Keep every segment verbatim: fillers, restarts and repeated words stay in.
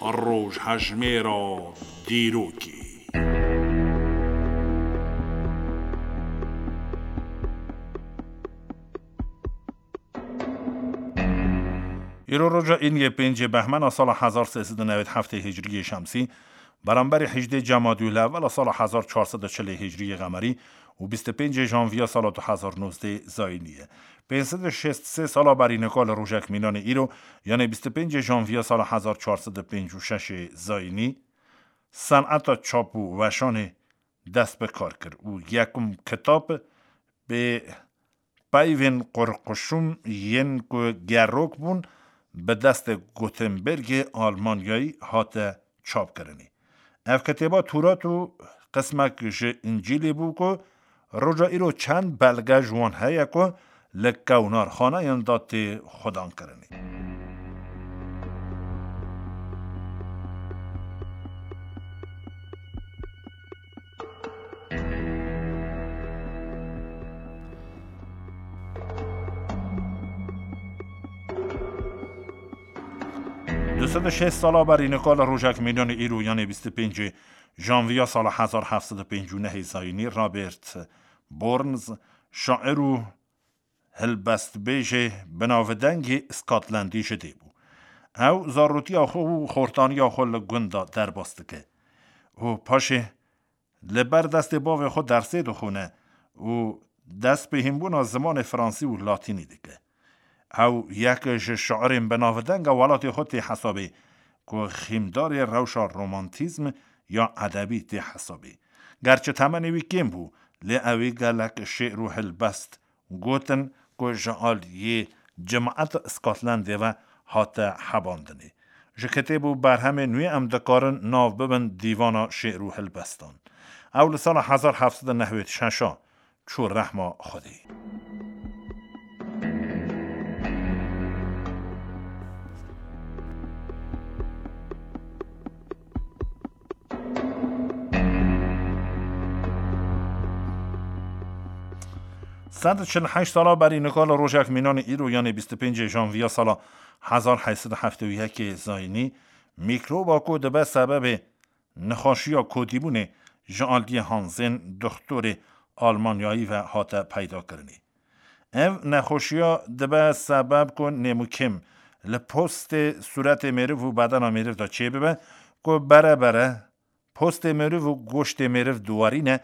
Rojhejmêra dîrokê. Îro roja îniyê pêncê behmena sala hezar sê sed û newêd heftê hicriyê şemsî, beramberî hejdê Cemadî Lewela sala hezar çar sed û çilê hicriyê qemerî û bîst û pêncê janviya sala du hezar nozdeh zayînî ye. Pênc sed û şêst sê sala berî nika li rojek mînanê îro, yanê bîst û pêncê janviya sala hezar çar sed û pêncî û şeş zayînî, seneta çap û weşanê dest bi kar kir û yekum kitab bi peyvên qurquşum yên ku gerok bûn, bi destê Gutenbergê Almanyayî hate çapkirinê. Ev kitêba Tûrat û qismek ji Încîlê bû ku roja îro çend belge ji wan heye ku li kewnarxaneyan de tê xwedankirinê. Du sed û şêst sala berî nika li rojek mînanê îro, yanê bîst û pêncê janviya sala hezar heft sed û pêncî û nehê zayînî, Robert Burns, şair û hilbestbêjê binavdengê Skotlandî ji dê bû. Ew zarotiya xwe û xortaniya xwe li gund de derbas dike û paşê li ber destê bavê xwe dersê dixwine û dest bi hînbûna zimanê fransî û latînî dike. Ew yek ji şairên binavdenga welatê xwe tê hesabê ku xîmdarê rewşa romantîzm ya edebî tê hesabê. Gerçi temenê wî kêm bû, lê ew ê gelek şê'r û hilbest gotin ku ji aliyê cemaet Scotlandê ve hate hebandinê. Ji kitêb û berhemên wî em dikarin nav bibin dîvana şê'r û hilbestan. Ew li sala hezar heft sed û nehwêd şeş a çû rehma Xwedê. Sed û çil heşt sala berî nika li rojek mînanê îro, yanê bîst û pêncê janviya sala hezar heyt sed û heftê û yekê zayînî, mîkroba ku dibe sebebê nexweşiya kotîbûnê ji aliyê Hanzên, doxtorê Almanyayî ve hate peydakirinê. Ev nexweşiya dibe sebeb ku nêmûkêm li postê sûretê mêriv û bedena mêriv de çêbibe, ku bere bere postê mêriv û goştê mêriv diwarîne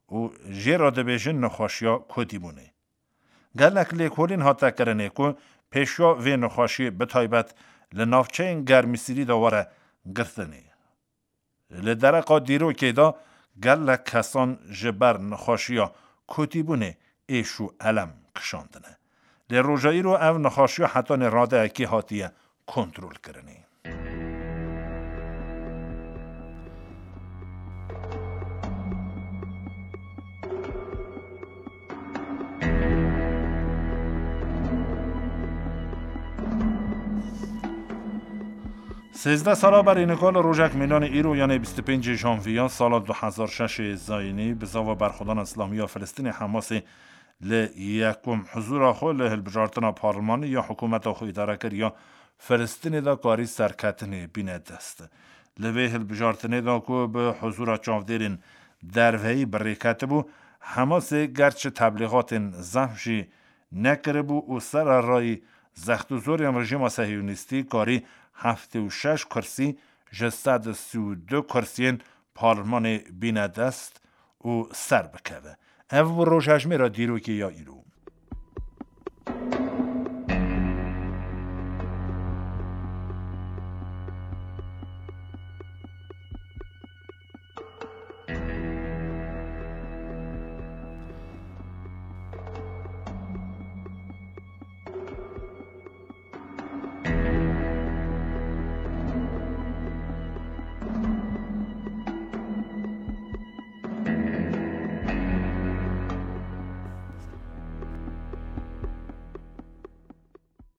û jê re dibêjin nexweşiya kotîbûnê. Gelek lêkolîn hate kirinê ku pêşiya vê nexweşiyê bi taybet li navçeyên germîsîrî de were girtinê. Li dereqa dîrokê de gelek kesan ji ber nexweşiya kotîbûnê êş û elem kişandine. Lê roja îro ev nexweşiya hetanî radeyekê hatiye kontrolkirinê. Sêzdeh sala berî nika li rojek mînanê îro, yanê bîst û pêncê janviya sala du hezar şeşê zayînî, bizava berxwedana Îslamî ya Filistînê Hamasê li yekum huzûra xwe li hilbijartina parlemanî ya hikûmeta xwe îdarekeriya Filistînê de karî serketinê bîne dest. Li vê hilbijartinê de ku bi huzûra çavdêrên derveyî bi rê ketibû, Hamasê gerçi teblîxatên zehf jî nekiribû û sererayî zext û zorên rejîma sehiyonîstî karî heftê û şeş kursî ji sed û sî û du kursiyên parlemanê bîne dest û ser bikeve. Ev bû rojhejmêra dîrokê ya îro.